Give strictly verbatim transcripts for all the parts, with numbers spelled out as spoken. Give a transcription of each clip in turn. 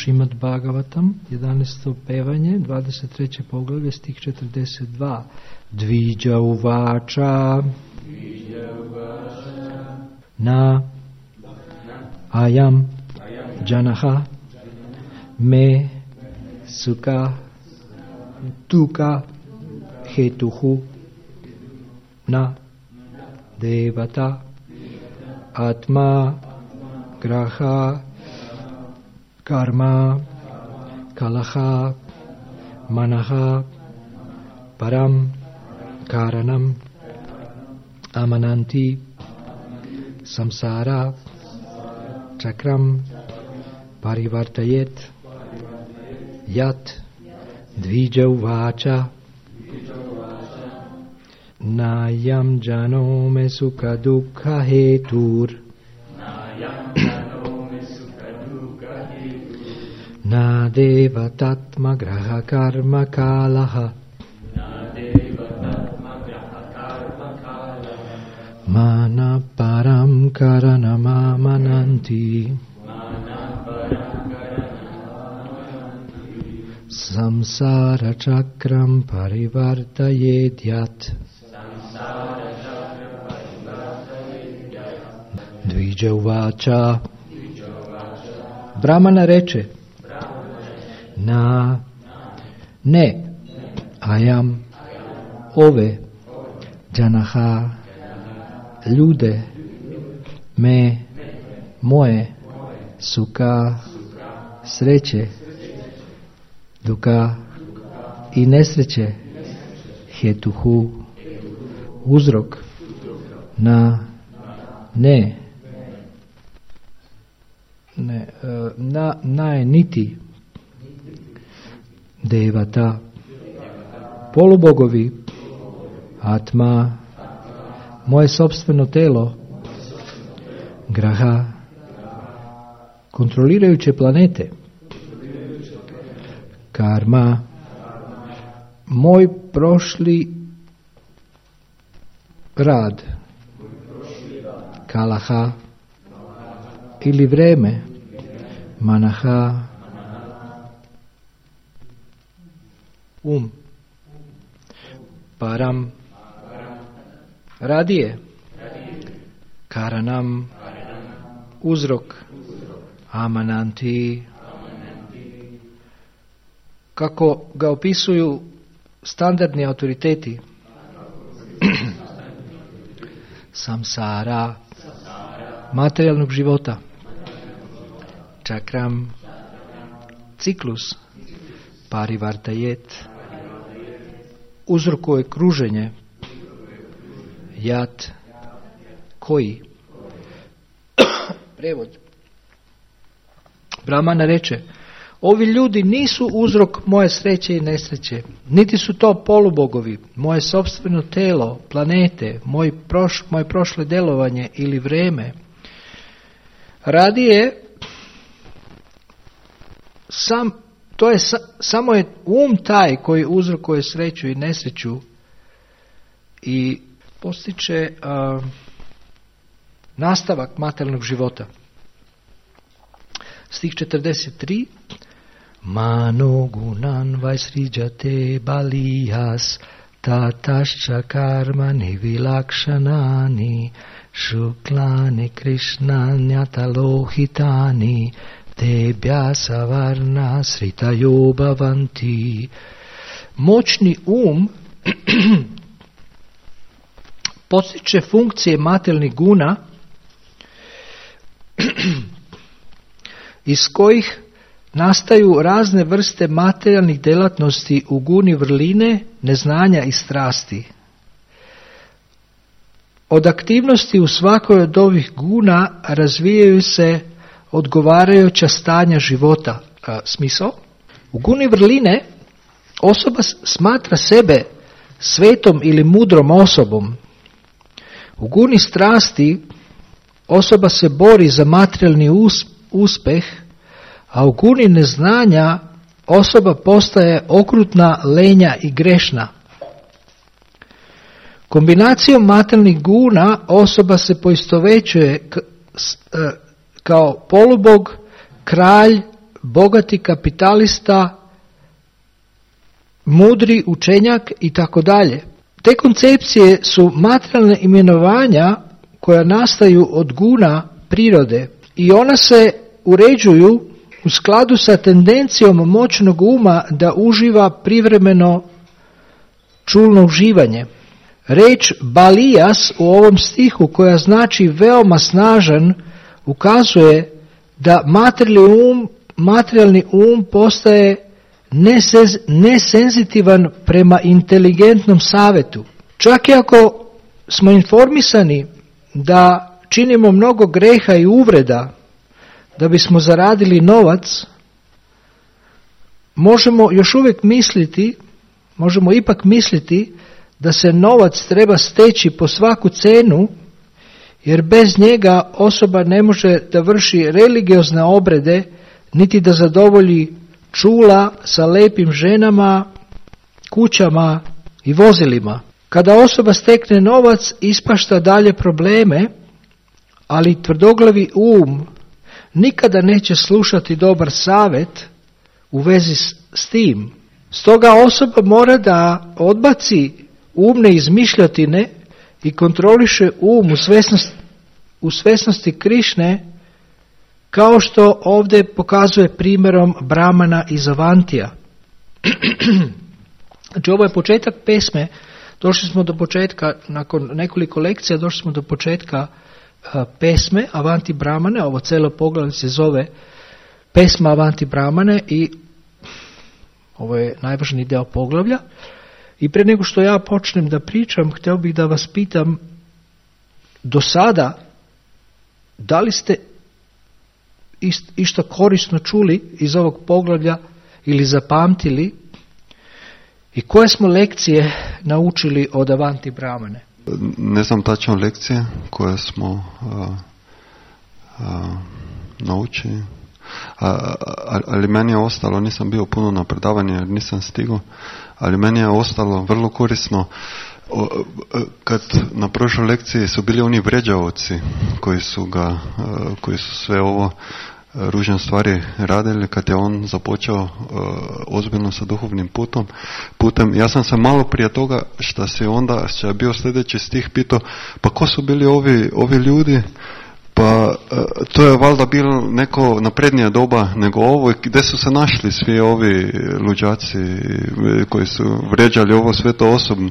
Šrimad Bhagavatam, jedanaesto pevanje, dvadeset treće poglavlje, stih četrdeset dva. Dviđa uvača na ayam janaha me sukha dukkha hetuhu na devata atma graha karma kalaha manaha param karanam amananti samsara chakram parivartayet yat dvija uvacha nayam jano me sukha dukkha hetur na devatatma graha karma kalaha mana param karanama mananti samsara chakram parivartayedyat dviđa uvača. Brahmana reče: na ne ayam ove janaha ljude me moje sukha sreće dukkha i nesreće hetuhu uzrok na ne ne na na niti devata polubogovi atma moje sopstveno telo graha kontrolirajuće planete karma moj prošli rad kalaha ili vreme manaha um param radije karanam uzrok amananti kako ga opisuju standardni autoriteti samsara materijalnog života čakram ciklus parivartajet uzrokuje kruženje jat koji prevod Brahmana reče: ovi ljudi nisu uzrok moje sreće i nesreće, niti su to polubogovi, moje sopstveno telo, planete, moj proš, moje prošle delovanje ili vreme. Radije sam, to je samo je um taj koji uzrokuje sreću i nesreću i postiče uh, nastavak materijalnog života. Stih četrdeset tri. Mano gunan vaisrijate balihas tatašča karma nivilakšanani šuklani krišnanyata lohitani tebja savarna sritajo bhavanti. Moćni um postiče funkcije materijalnih guna iz kojih nastaju razne vrste materijalnih djelatnosti u guni vrline, neznanja i strasti. Od aktivnosti u svakoj od ovih guna razvijaju se odgovarajuća stanja života. A, smisao? U guni vrline osoba smatra sebe svetom ili mudrom osobom. U guni strasti osoba se bori za materijalni uspjeh, a u guni neznanja osoba postaje okrutna, lenja i grešna. Kombinacijom materijalnih guna osoba se poistovjećuje kao polubog, kralj, bogati kapitalista, mudri učenjak i tako dalje. Te koncepcije su materijalne imenovanja koja nastaju od guna prirode i ona se uređuju u skladu sa tendencijom moćnog uma da uživa privremeno čulno uživanje. Reč balijas u ovom stihu, koja znači veoma snažan, ukazuje da materijalni um, materijalni um postaje nesez, nesenzitivan prema inteligentnom savjetu. Čak i ako smo informisani da činimo mnogo greha i uvreda da bismo zaradili novac, možemo još uvijek misliti, možemo ipak misliti da se novac treba steći po svaku cenu, jer bez njega osoba ne može da vrši religiozne obrede, niti da zadovolji čula sa lepim ženama, kućama i vozilima. Kada osoba stekne novac, ispašta dalje probleme, ali tvrdoglavi um nikada neće slušati dobar savjet u vezi s, s tim. Stoga osoba mora da odbaci umne izmišljotine i kontroliše um u svesnosti, u svesnosti Krišne, kao što ovdje pokazuje primjerom Brahmana iz Avantija. Znači, ovo je početak pesme. Došli smo do početka, nakon nekoliko lekcija, došli smo do početka uh, pesme Avanti Brahmane. Ovo cijelo poglavlje se zove pesma Avanti Brahmane i ovo je najvažniji deo poglavlja. I prije nego što ja počnem da pričam, htio bih da vas pitam, do sada, da li ste išta korisno čuli iz ovog poglavlja ili zapamtili i koje smo lekcije naučili od Avanti Brahmane? Ne znam tačno lekcije koje smo a, a, naučili, a, a, ali meni je ostalo, nisam bio puno na predavanje jer nisam stigao, ali meni je ostalo vrlo korisno. Kad na prošloj lekciji su bili oni vređavci koji su ga, koji su sve ovo ružne stvari radili, kad je on započeo ozbiljno sa duhovnim putom, putem, ja sam se malo prije toga što se onda, što je bio sljedeći stih, pitao, pa ko su bili ovi, ovi ljudi? Pa to je valjda bilo neko naprednija doba nego ovo, gdje su se našli svi ovi luđaci koji su vređali ovo sve to osobno.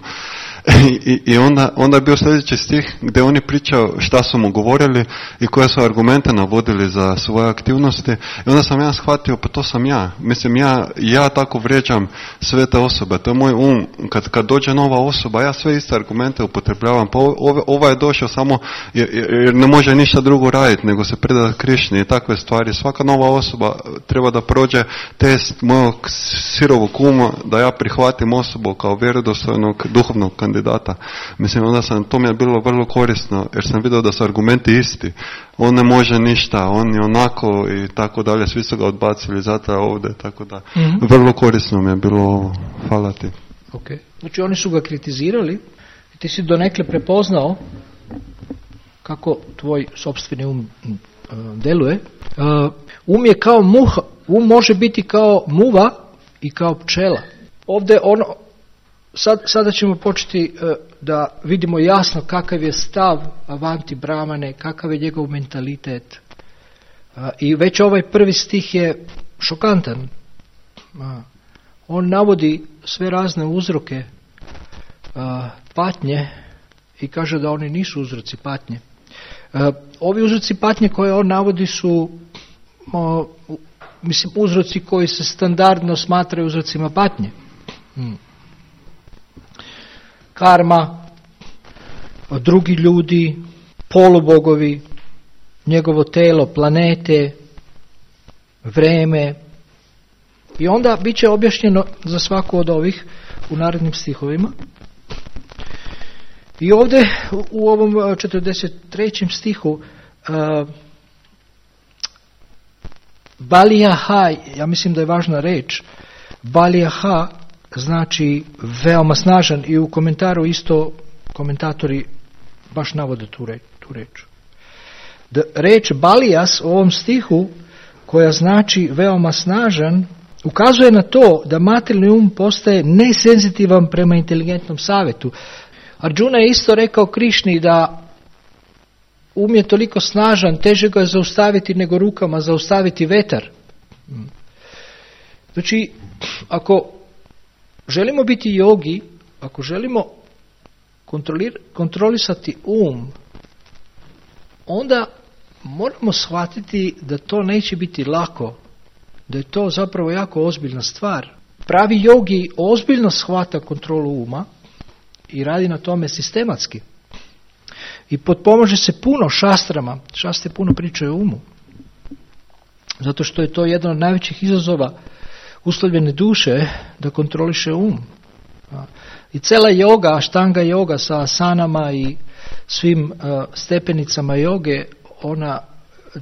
I, i onda, onda je bio sljedeći stih gdje oni pričaju šta su mu govorili i koje su argumente navodili za svoje aktivnosti, i onda sam ja shvatio, pa to sam ja. Mislim, ja, ja tako vrijeđam sve te osobe, to je moj um. Kad, kad dođe nova osoba, ja sve iste argumente upotrebljavam, pa ova, ova je došao samo jer, jer ne može ništa drugo raditi nego se predati Krišni i takve stvari. Svaka nova osoba treba da prođe test mojeg sirovog uma, da ja prihvatim osobu kao vjerodostojnog duhovnog kandidata. Mislim, onda sam, to mi je bilo vrlo korisno, jer sam vidio da su argumenti isti. On ne može ništa, on je onako i tako dalje, svi su ga odbacili, zato je ovdje, tako da. Mm-hmm. Vrlo korisno mi je bilo ovo. Hvala ti. Okay. Znači, oni su ga kritizirali i ti si donekle prepoznao kako tvoj sopstveni um uh, deluje. Uh, um je kao muha, um može biti kao muva i kao pčela. Ovdje ono, Sad, sada ćemo početi uh, da vidimo jasno kakav je stav Avanti Brahmane, kakav je njegov mentalitet. Uh, I već ovaj prvi stih je šokantan. Uh, on navodi sve razne uzroke uh, patnje i kaže da oni nisu uzroci patnje. Uh, ovi uzroci patnje koje on navodi su uh, mislim uzroci koji se standardno smatraju uzrocima patnje. Hmm. Karma, drugi ljudi, polubogovi, njegovo telo, planete, vreme. I onda bit će objašnjeno za svaku od ovih u narednim stihovima. I ovdje u ovom četrdeset trećem stihu uh, Balijaha, ja mislim da je važna reč, Balijaha znači veoma snažan, i u komentaru isto komentatori baš navode tu reč. Tu reč. Da, reč balijas u ovom stihu koja znači veoma snažan, ukazuje na to da materijalni um postaje nesenzitivan prema inteligentnom savjetu. Arjuna je isto rekao Krišni da um je toliko snažan, teže ga je zaustaviti nego rukama zaustaviti vetar. Znači, ako želimo biti jogi, ako želimo kontrolisati um, onda moramo shvatiti da to neće biti lako, da je to zapravo jako ozbiljna stvar. Pravi jogi ozbiljno shvata kontrolu uma i radi na tome sistematski. I potpomaže se puno šastrama, šastre puno pričaju o umu. Zato što je to jedan od najvećih izazova uslovljene duše, da kontroliše um. I cela joga, aštanga joga sa asanama i svim uh, stepenicama joge, ona,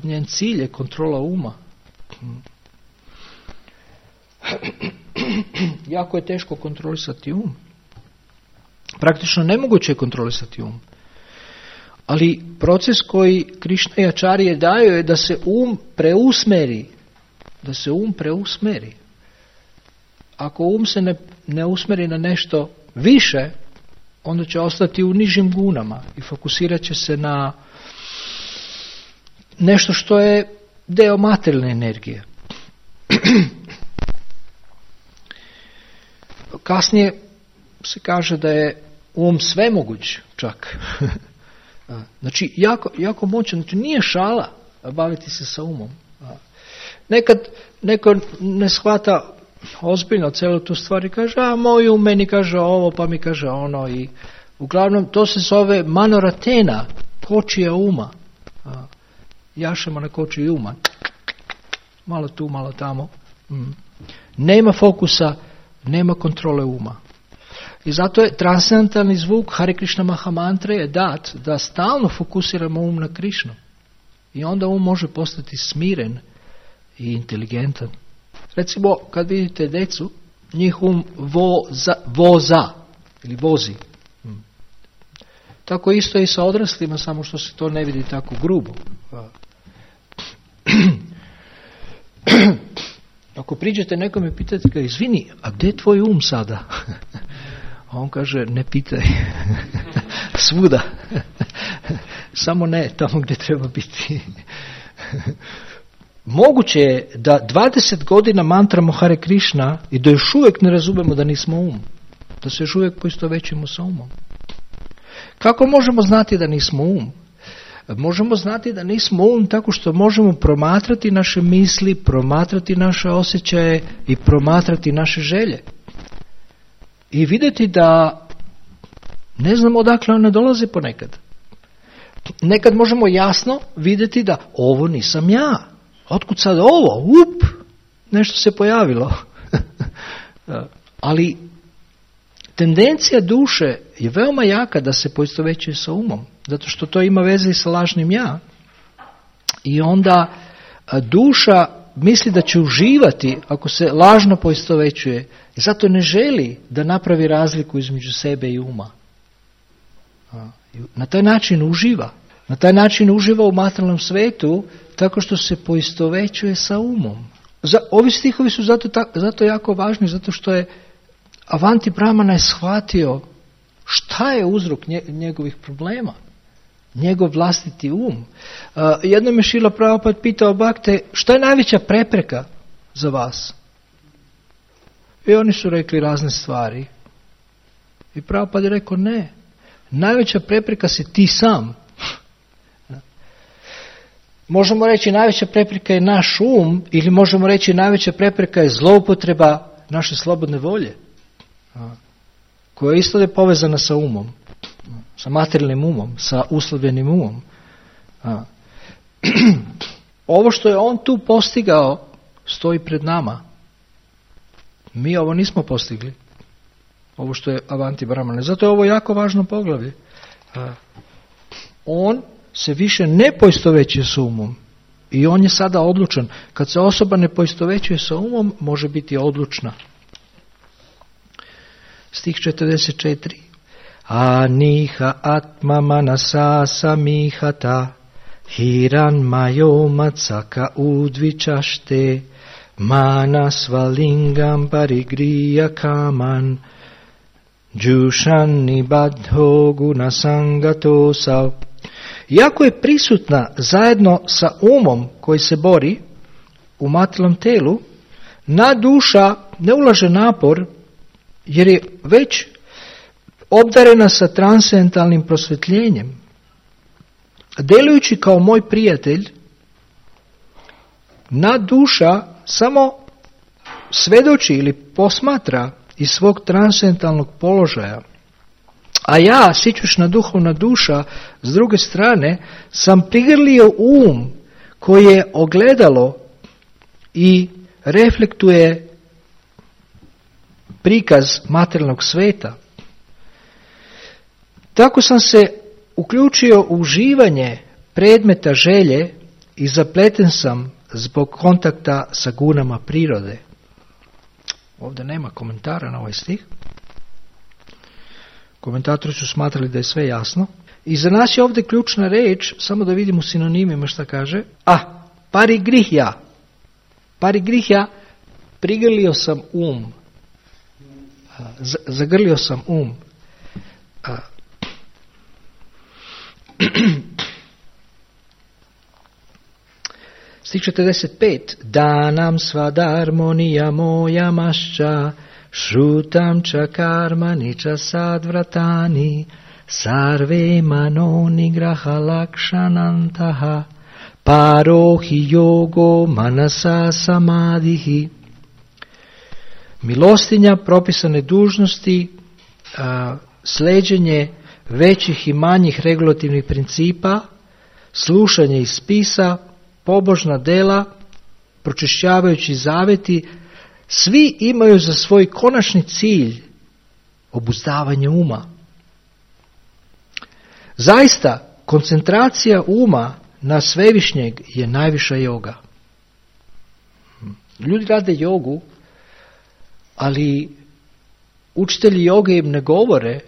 njen cilj je kontrola uma. Jako je teško kontrolisati um. Praktično nemoguće je kontrolisati um. Ali proces koji Krišna i Ačarije daju je da se um preusmeri. Da se um preusmeri. Ako um se ne, ne usmeri na nešto više, onda će ostati u nižim gunama i fokusirat će se na nešto što je deo materijalne energije. Kasnije se kaže da je um svemoguć čak. Znači, jako, jako moćan. Znači, nije šala baviti se sa umom. Nekad neko ne shvata ozbiljno celu tu stvar i kaže, a moj um meni kaže ovo, pa mi kaže ono. I uglavnom, to se zove manoratena, kočija uma. Jašemo na kočiji uma. Malo tu, malo tamo. Mm. Nema fokusa, nema kontrole uma. I zato je transcendentalni zvuk Hare Krishna Mahamantre je dat da stalno fokusiramo um na Krišnu. I onda um može postati smiren i inteligentan. Recimo, kad vidite decu, njih um voza, voza ili vozi. Hmm. Tako isto i sa odraslima, samo što se to ne vidi tako grubo. Ako priđete nekom i pitate ga, izvini, a gdje je tvoj um sada? A on kaže, ne pitaj. Svuda. Samo ne tamo gdje treba biti. Moguće je da dvadeset godina mantramo Hare Krishna i da još uvijek ne razumemo da nismo um. Da se još uvijek poistovjećujemo sa umom. Kako možemo znati da nismo um? Možemo znati da nismo um tako što možemo promatrati naše misli, promatrati naše osjećaje i promatrati naše želje. I vidjeti da ne znamo odakle one dolaze ponekad. Nekad možemo jasno vidjeti da ovo nisam ja. Otkud sad ovo? Up! Nešto se pojavilo. Ali tendencija duše je veoma jaka da se poistovjećuje sa umom. Zato što to ima veze i sa lažnim ja. I onda duša misli da će uživati ako se lažno poistovjećuje. I zato ne želi da napravi razliku između sebe i uma. Na taj način uživa. Na taj način uživa u materijalnom svetu tako što se poistovjećuje sa umom. Za, ovi stihovi su zato, ta, zato jako važni, zato što je Avanti Brahmana je shvatio šta je uzrok nje, njegovih problema. Njegov vlastiti um. Uh, jednom je Šrila Prabhupada pitao Bhakte, šta je najveća prepreka za vas? I oni su rekli razne stvari. I Prabhupada je rekao, ne. Najveća prepreka si ti sam. Možemo reći najveća prepreka je naš um, ili možemo reći najveća prepreka je zloupotreba naše slobodne volje, koja isto je povezana sa umom, sa materijalnim umom, sa uslovljenim umom. Ovo što je on tu postigao stoji pred nama. Mi ovo nismo postigli. Ovo što je Avanti Brahmana. Zato je ovo jako važno poglavlje. On se više ne poistovjećuje s umom. I on je sada odlučan. Kad se osoba ne poistovjećuje sa umom, može biti odlučna. Stih četrdeset četiri. Aniha atma manasa samihata Hiran mayomatsaka udvichašte, manasvalingam parigriya kaman, džušani badho gunasangatosau. Iako je prisutna zajedno sa umom koji se bori u materijalnom telu, na duša ne ulaže napor jer je već obdarena sa transcendentalnim prosvjetljenjem. Delujući kao moj prijatelj, na duša samo svedoči ili posmatra iz svog transcendentalnog položaja. A ja, sićušna duhovna duša, s druge strane, sam prigrlio um koji je ogledalo i reflektuje prikaz materijalnog sveta. Tako sam se uključio u uživanje predmeta želje i zapleten sam zbog kontakta sa gunama prirode. Ovdje nema komentara na ovaj stih. Komentatori su smatrali da je sve jasno. I za nas je ovdje ključna reč, samo da vidimo sinonimima šta kaže. A, parigrihja. Parigrihja, prigrlio sam um. Z- zagrlio sam um. A, Stih četrdeset pet. Danam svadarmonija moja mašća, šrutam ča karmani ča sadvratani, sarve manoni graha lakšanantaha, parohi yogo manasa samadihi. Milostinja, propisane dužnosti, a, sleđenje većih i manjih regulativnih principa, slušanje iz spisa, pobožna dela, pročišćavajući zaveti, svi imaju za svoj konačni cilj obuzdavanje uma. Zaista, koncentracija uma na svevišnjeg je najviša joga. Ljudi rade jogu, ali učitelji joge im ne govore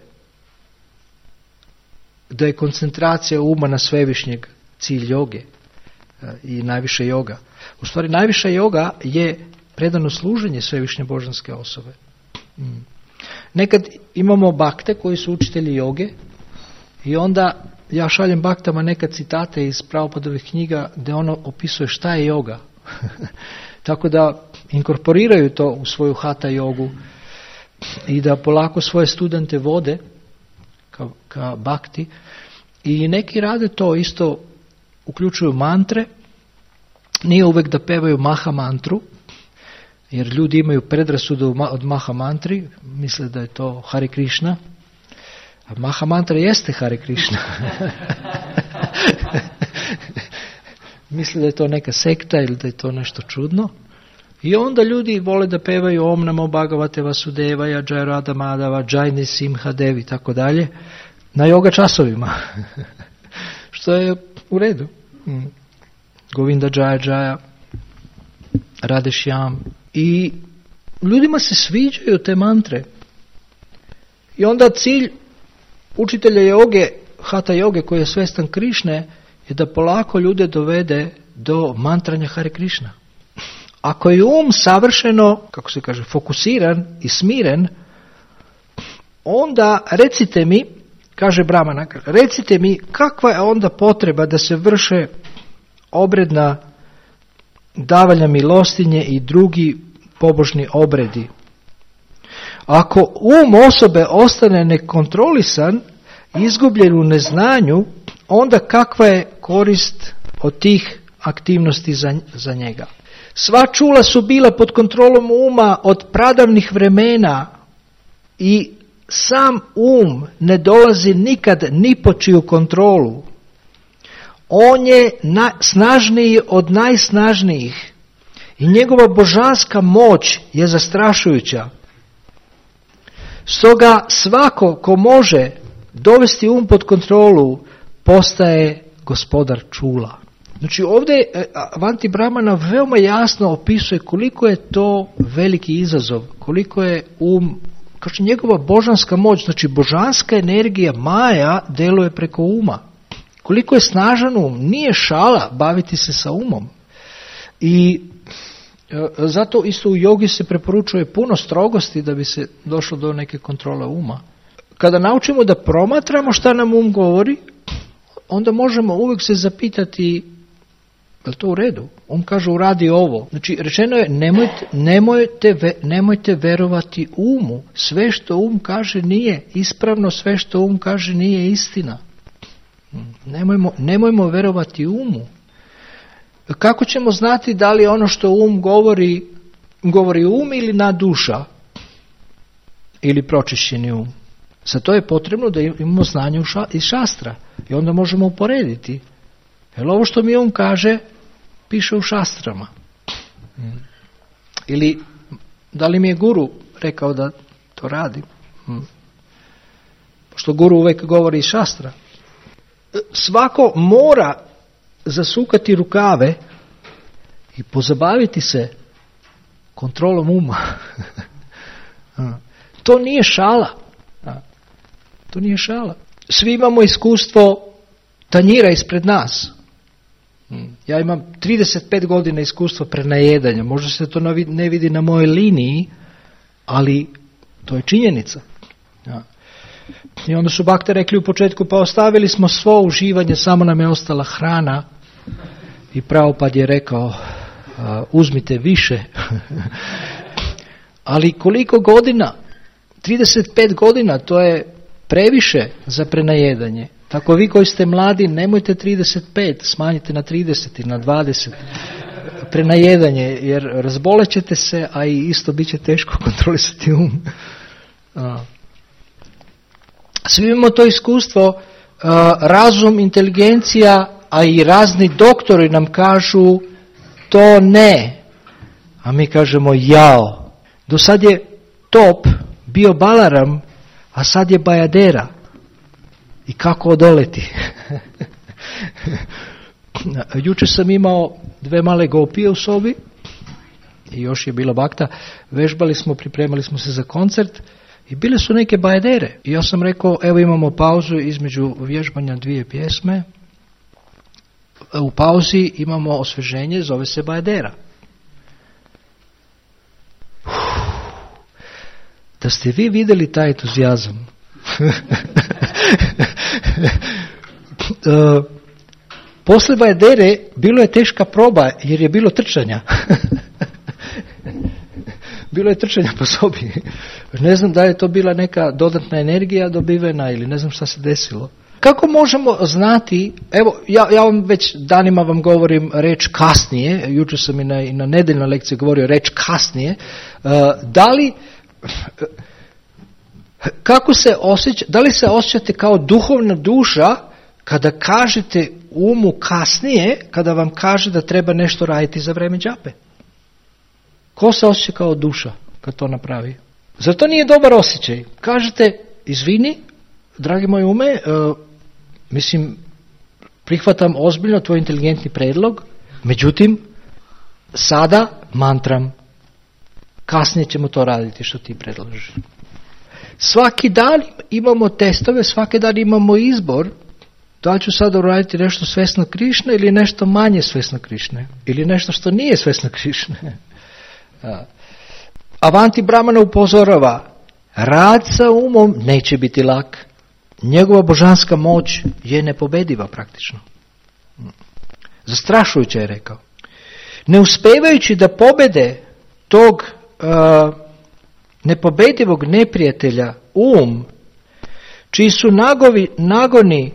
da je koncentracija uma na svevišnjeg cilj joge i najviša joga. U stvari, najviša joga je predano služenje svevišnje božanske osobe. Nekad imamo bakte koji su učitelji joge i onda ja šaljem baktama neka citate iz Prabhupadovih knjiga gdje ono opisuje šta je joga. Tako da inkorporiraju to u svoju hata jogu i da polako svoje studente vode ka, ka bakti. I neki rade to isto, uključuju mantre. Nije uvijek da pevaju maha mantru, jer ljudi imaju predrasudu od maha mantri, misle da je to Hare Krishna. A maha mantra jeste Hare Krishna. Misle da je to neka sekta ili da je to nešto čudno. I onda ljudi vole da pevaju Om Namo Bhagavate Vasudevaya, Jai Radha Madhava, Jai Nisimha Devi, tako dalje, na yoga časovima. Što je u redu. Mm. Govinda Jaya Jaya, Radhe Shyam. I ljudima se sviđaju te mantre. I onda cilj učitelja joge, hata joge koji je svestan Krišne, je da polako ljude dovede do mantranja Hare Krishna. Ako je um savršeno, kako se kaže, fokusiran i smiren, onda recite mi, kaže Brahmana, recite mi kakva je onda potreba da se vrše obredna davanja milostinje i drugi pobožni obredi. Ako um osobe ostane nekontrolisan, izgubljen u neznanju, onda kakva je korist od tih aktivnosti za, za njega? Sva čula su bila pod kontrolom uma od pradavnih vremena i sam um ne dolazi nikad ni po čiju kontrolu. On je na, snažniji od najsnažnijih i njegova božanska moć je zastrašujuća. Stoga svako ko može dovesti um pod kontrolu postaje gospodar čula. Znači ovdje Avanti Brahmana veoma jasno opisuje koliko je to veliki izazov, koliko je um, kaže njegova božanska moć, znači božanska energija Maja deluje preko uma. koliko je snažan um, nije šala baviti se sa umom. I e, zato isto u jogi se preporučuje puno strogosti da bi se došlo do neke kontrole uma. Kada naučimo da promatramo šta nam um govori, onda možemo uvijek se zapitati, je li to u redu? Um kaže uradi ovo. Znači rečeno je nemojte, nemojte, nemojte verovati umu. Sve što um kaže nije ispravno, sve što um kaže nije istina. Nemojmo, nemojmo verovati umu. Kako ćemo znati da li ono što um govori, govori um ili na duša? Ili pročišćeni um? Za to je potrebno da imamo znanje iz šastra. I onda možemo uporediti. Jer ovo što mi um kaže, piše u šastrama. Ili da li mi je guru rekao da to radi? Pošto guru uvijek govori iz šastra. Svako mora zasukati rukave i pozabaviti se kontrolom uma. To nije šala. To nije šala. Svi imamo iskustvo tanjira ispred nas. Ja imam trideset pet godina iskustva prenajedanja. Možda se to ne vidi na mojoj liniji, ali to je činjenica. Ja. I onda su bakte rekli u početku, pa ostavili smo svo uživanje, samo nam je ostala hrana. I Prabhupada je rekao, uzmite više. Ali koliko godina? trideset pet godina, to je previše za prenajedanje. Tako vi koji ste mladi, nemojte trideset pet, smanjite na trideset ili na dvadeset prenajedanje, jer razbolećete se, a i isto bit će teško kontrolisati um. Svi imamo to iskustvo, razum, inteligencija, a i razni doktori nam kažu to ne, a mi kažemo jao. Do sad je top bio Balaram, a sad je Bajadera. I kako odoleti? Jučer sam imao dve male gopije u sobi i još je bila bakta. Vežbali smo, pripremali smo se za koncert i bile su neke Bajadere. I ja sam rekao, evo imamo pauzu između vježbanja dvije pjesme. U pauzi imamo osveženje, zove se Bajadera. Da ste vi vidjeli taj entuzijazam. uh, Posle Bajadere bilo je teška proba jer je bilo trčanja. Bilo je trčanja po sobi. Ne znam da je to bila neka dodatna energija dobivena ili ne znam šta se desilo. Kako možemo znati, evo ja, ja vam već danima vam govorim reč kasnije, jučer sam i na, i na nedeljnoj lekciji govorio reč kasnije, uh, da li kako se osjeća, da li se osjećate kao duhovna duša kada kažete umu kasnije, kada vam kaže da treba nešto raditi za vreme džape? Ko se osjeća kao duša kad to napravi? Zar to nije dobar osjećaj? Kažete, izvini, dragi moj ume, uh, mislim, prihvatam ozbiljno tvoj inteligentni predlog, međutim, sada mantram, kasnije ćemo to raditi što ti predlažeš. Svaki dan imamo testove, svaki dan imamo izbor, da li ću sada uraditi nešto svesno Krišne ili nešto manje svesno Krišne, ili nešto što nije svesno Krišne. Avanti Brahmana upozorava, rad sa umom neće biti lak. Njegova božanska moć je nepobediva praktično. Zastrašujuće je rekao. Ne uspijevajući da pobede tog uh, nepobedivog neprijatelja um, čiji su nagovi, nagoni,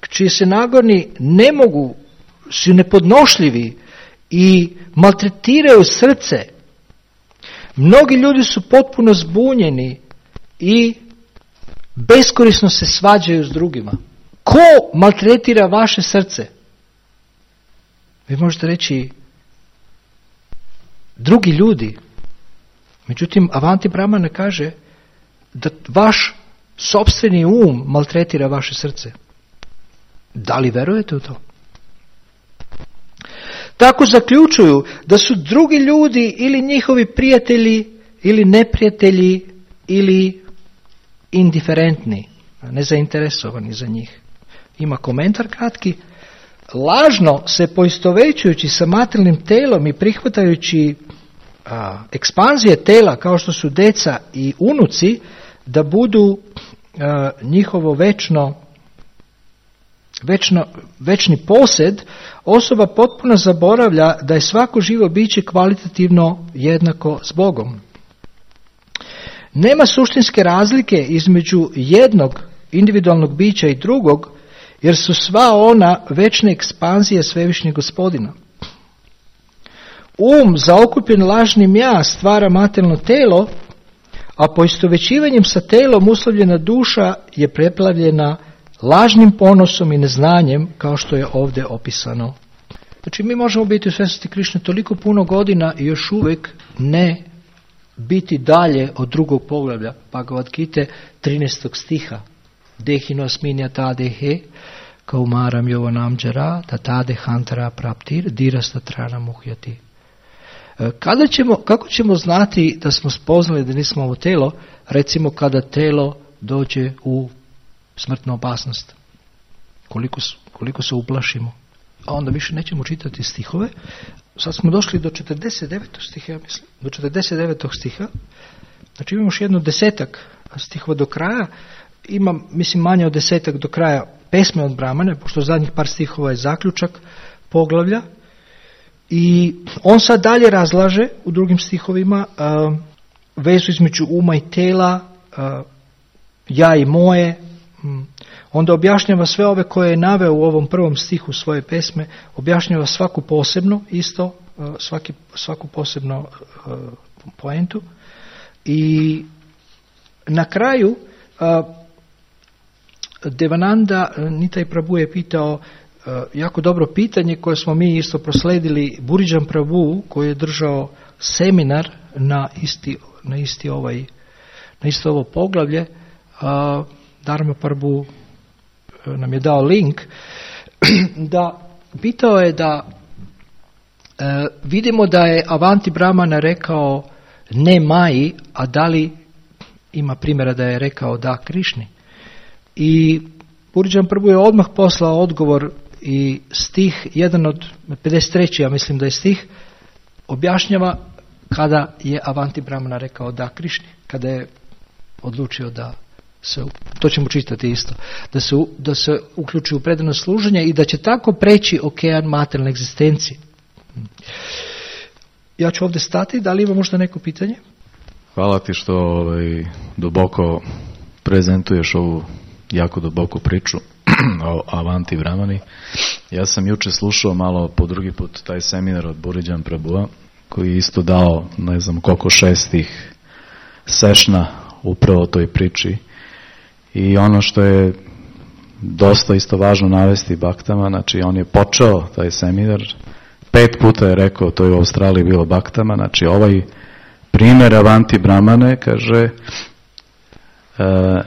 čiji se nagoni ne mogu, su nepodnošljivi i maltretiraju srce. Mnogi ljudi su potpuno zbunjeni i beskorisno se svađaju s drugima. Ko maltretira vaše srce? Vi možete reći drugi ljudi. Međutim, Avanti Brahmana kaže da vaš sopstveni um maltretira vaše srce. Da li verujete u to? Tako zaključuju da su drugi ljudi ili njihovi prijatelji ili neprijatelji ili indiferentni, nezainteresovani za njih. ima komentar kratki. Lažno se poistovećujući sa materijalnim telom i prihvatajući a, ekspanzije tela kao što su deca i unuci, da budu a, njihovo večno, večno, večni posjed, osoba potpuno zaboravlja da je svako živo biće kvalitativno jednako s Bogom. Nema suštinske razlike između jednog individualnog bića i drugog, jer su sva ona večne ekspanzije svevišnjeg Gospodina. Um zaokupljen lažnim ja stvara materijalno telo, a poistovećivanjem sa telom uslovljena duša je preplavljena lažnim ponosom i neznanjem, kao što je ovdje opisano. Znači mi možemo biti u svjesnosti Krišne toliko puno godina i još uvijek ne biti dalje od drugog poglavlja. Bhagavad Gita trinaestog stiha. Dehino sminja tadehe kaumaram jovanam džara tatade hantara praptir dirasta trana muhjati. Kada ćemo, kako ćemo znati da smo spoznali da nismo ovo telo, recimo kada telo dođe u smrtnu opasnost? Koliko, koliko se uplašimo? A onda više nećemo čitati stihove. Sad smo došli do četrdeset devetog stiha, ja mislim. Do četrdeset devetog stiha. Znači imamo još jedno desetak stihova do kraja. Ima, mislim, manje od desetak do kraja pesme od Brahmane, pošto zadnjih par stihova je zaključak poglavlja. I on sad dalje razlaže u drugim stihovima uh, vezu između uma i tela, uh, ja i moje. Um, onda objašnjava sve ove koje je naveo u ovom prvom stihu svoje pesme, objašnjava svaku posebno isto, uh, svaki, svaku posebno uh, poentu. I na kraju uh, Devananda Nitai Prabhu je pitao uh, jako dobro pitanje koje smo mi isto prosledili Buridžan Prabhu, koji je držao seminar na isti, na isti ovaj, na isto ovo poglavlje. Uh, Dharma Prabhu nam je dao link, da pitao je da uh, vidimo da je Avanti Brahmana rekao ne Maji, a da li ima primjera da je rekao da Krišni. I Buridžan Prabhu je odmah poslao odgovor i stih, jedan od pedeset tri. ja mislim da je stih, objašnjava kada je Avanti Brahmana rekao da Krišni, kada je odlučio da se, to ćemo čitati isto, da se, da se uključi u predano služenje i da će tako preći okean materijalne egzistencije. Ja ću ovdje stati, da li ima možda neko pitanje? Hvala ti što ovaj, duboko prezentuješ ovu jako duboku priču o Avanti Brahmani. Ja sam juče slušao malo po drugi put taj seminar od Buridžan Prabhua, koji je isto dao, ne znam koliko, šestih sešna upravo toj priči. I ono što je dosta isto važno navesti baktama, znači on je počeo taj seminar, pet puta je rekao, to je u Australiji bilo baktama, znači ovaj primjer Avanti Brahmane, kaže, e,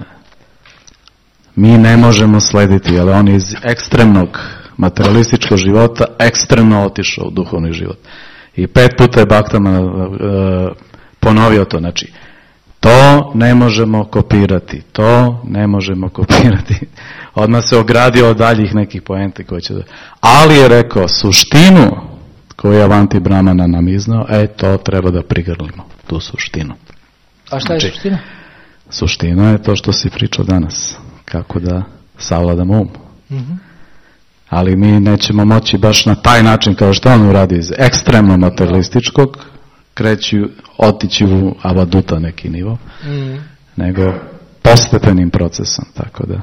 mi ne možemo slediti, ali on je iz ekstremnog materialističkog života ekstremno otišao u duhovni život. I pet puta je baktama e, ponovio to, znači to ne možemo kopirati, to ne možemo kopirati. Odmah se ogradio od daljih nekih poenti koje će da... Ali je rekao suštinu koju je Avanti Brahmana nam iznao, e to treba da prigrlimo, tu suštinu. A šta je znači, suština? Suština je to što si pričao danas, kako da savladamo um. Mm-hmm. Ali mi nećemo moći baš na taj način kao što on uradi iz ekstremno materialističkog, kreći, otići u avaduta neki nivo, mm. nego postepenim procesom, tako da.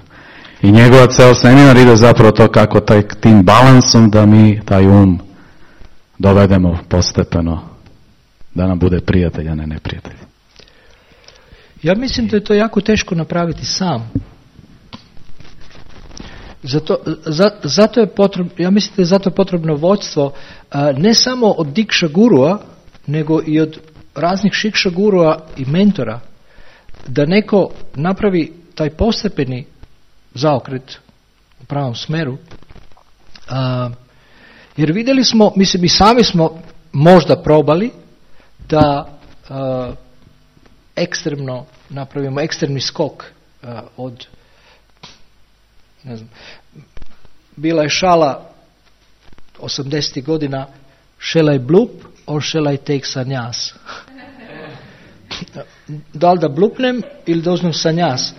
I njegova ceo seminar ide zapravo to kako taj, tim balansom da mi taj um dovedemo postepeno, da nam bude prijatelj, a ne neprijatelj. Ja mislim da je to jako teško napraviti sam. Zato, za, zato je potrebno, ja mislim da je zato potrebno vođstvo a, ne samo od Dikša gurua, nego i od raznih šikša gurua i mentora, da neko napravi taj postepeni zaokret u pravom smeru. A, jer vidjeli smo, mislim i sami smo možda probali da a, ekstremno napravimo ekstremni skok a, od, ne znam, bila je šala osamdesetih godina, shall I blup or shall I take sanjas? Da li da blupnem ili da uzmem sanjas?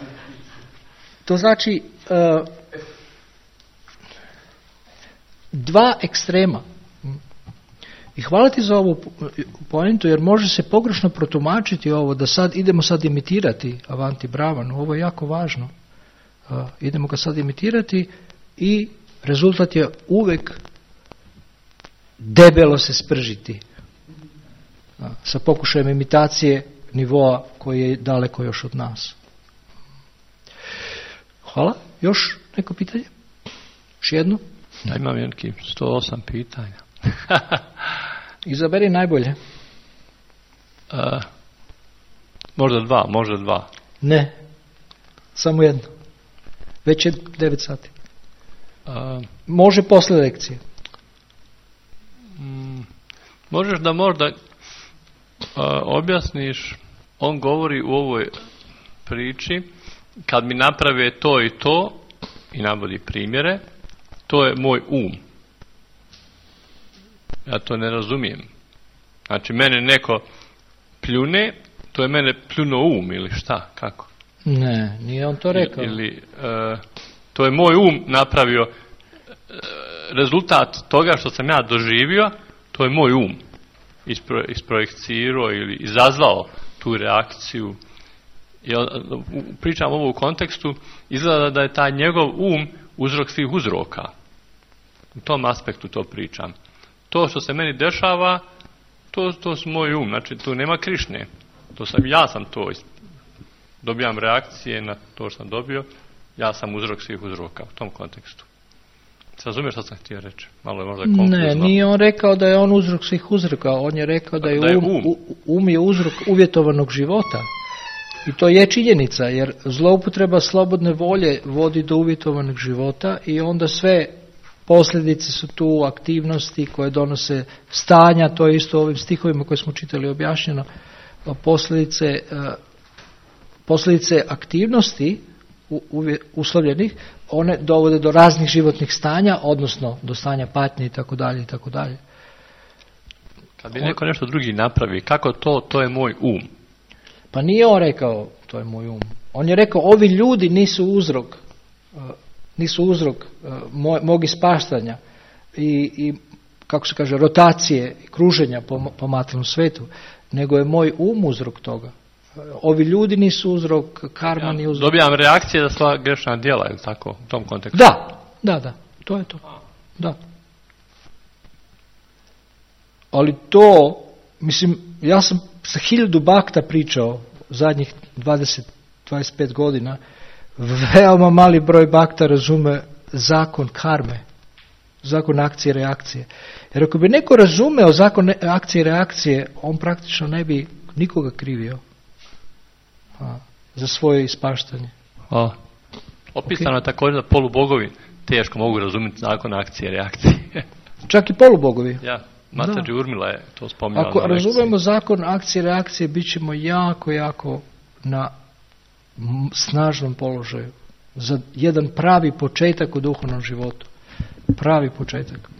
To znači uh, dva ekstrema. I hvala ti za ovu poentu, jer može se pogrešno protumačiti ovo, da sad idemo sad imitirati Avanti Bravanu. Ovo je jako važno. Uh, idemo ga sad imitirati i rezultat je uvek debelo se spržiti. Uh, sa pokušajem imitacije nivoa koji je daleko još od nas. Hvala. Još neko pitanje? Još jedno? Ja imam neki sto osam pitanja. Izaberi najbolje. Uh, možda dva, možda dva. Ne. Samo jedno. Već je devet sati. Uh, Može posle lekcije. Mm, možeš da možda uh, objasniš, on govori u ovoj priči, kad mi naprave to i to, i navodi primjere, to je moj um. Ja to ne razumijem. Znači, mene neko pljune, to je mene pljuno um ili šta, kako? Ne, nije on to rekao. Ili, uh, to je moj um napravio, uh, rezultat toga što sam ja doživio, to je moj um ispro, isprojekcirao ili izazvao tu reakciju. Ja pričam ovo u kontekstu, izgleda da je taj njegov um uzrok svih uzroka. U tom aspektu to pričam. To što se meni dešava, to, to su moj um, znači tu nema Krišne. To sam, ja sam to, dobijam reakcije na to što sam dobio, ja sam uzrok svih uzroka u tom kontekstu. Se razumiješ što sam htio reći? Malo je možda konfuzno. Ne, nije on rekao da je on uzrok svih uzroka, on je rekao da je, da je um, um. um je uzrok uvjetovanog života. I to je činjenica, jer zloupotreba slobodne volje vodi do uvjetovanog života i onda sve posljedice su tu aktivnosti koje donose stanja, to je isto u ovim stihovima koje smo čitali objašnjeno, posljedice, posljedice aktivnosti uslovljenih, one dovode do raznih životnih stanja, odnosno do stanja patnje i tako dalje i tako dalje. Kad bi neko nešto drugi napravi, kako to, to je moj um. Pa nije on rekao, to je moj um. On je rekao, ovi ljudi nisu uzrok, nisu uzrok moj, mog ispaštanja i, i, kako se kaže, rotacije, kruženja po, po materijalnom svetu, nego je moj um uzrok toga. Ovi ljudi nisu uzrok, karma nije uzrok. Dobijam reakcije za sva grešna djela, ili tako, u tom kontekstu? Da, da, da, to je to. Da. Ali to, mislim, ja sam sa hiljadu bakta pričao zadnjih dvadeset do dvadeset pet godina, veoma mali broj bakta razume zakon karme, zakon akcije i reakcije. Jer ako bi neko razumeo zakon akcije i reakcije, on praktično ne bi nikoga krivio a, za svoje ispaštanje. A, opisano okay. Je također da polubogovi teško mogu razumjeti zakon akcije i reakcije. Čak i polubogovi. Ja. Mater Urmila je to spominjala. Ako razumemo zakon akcije i reakcije, bit ćemo jako, jako na snažnom položaju. Za jedan pravi početak u duhovnom životu. Pravi početak.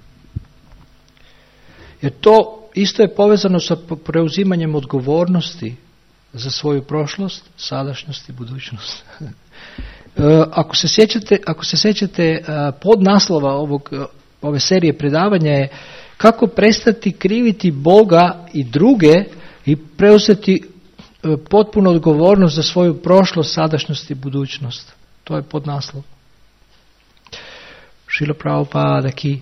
Jer to isto je povezano sa preuzimanjem odgovornosti za svoju prošlost, sadašnjost i budućnost. Ako se sjećate, ako se sjećate podnaslova ovog, ove serije predavanja je kako prestati kriviti Boga i druge i preuzeti potpuno odgovornost za svoju prošlost, sadašnjost i budućnost. To je podnaslov. Šrila Prabhupada ki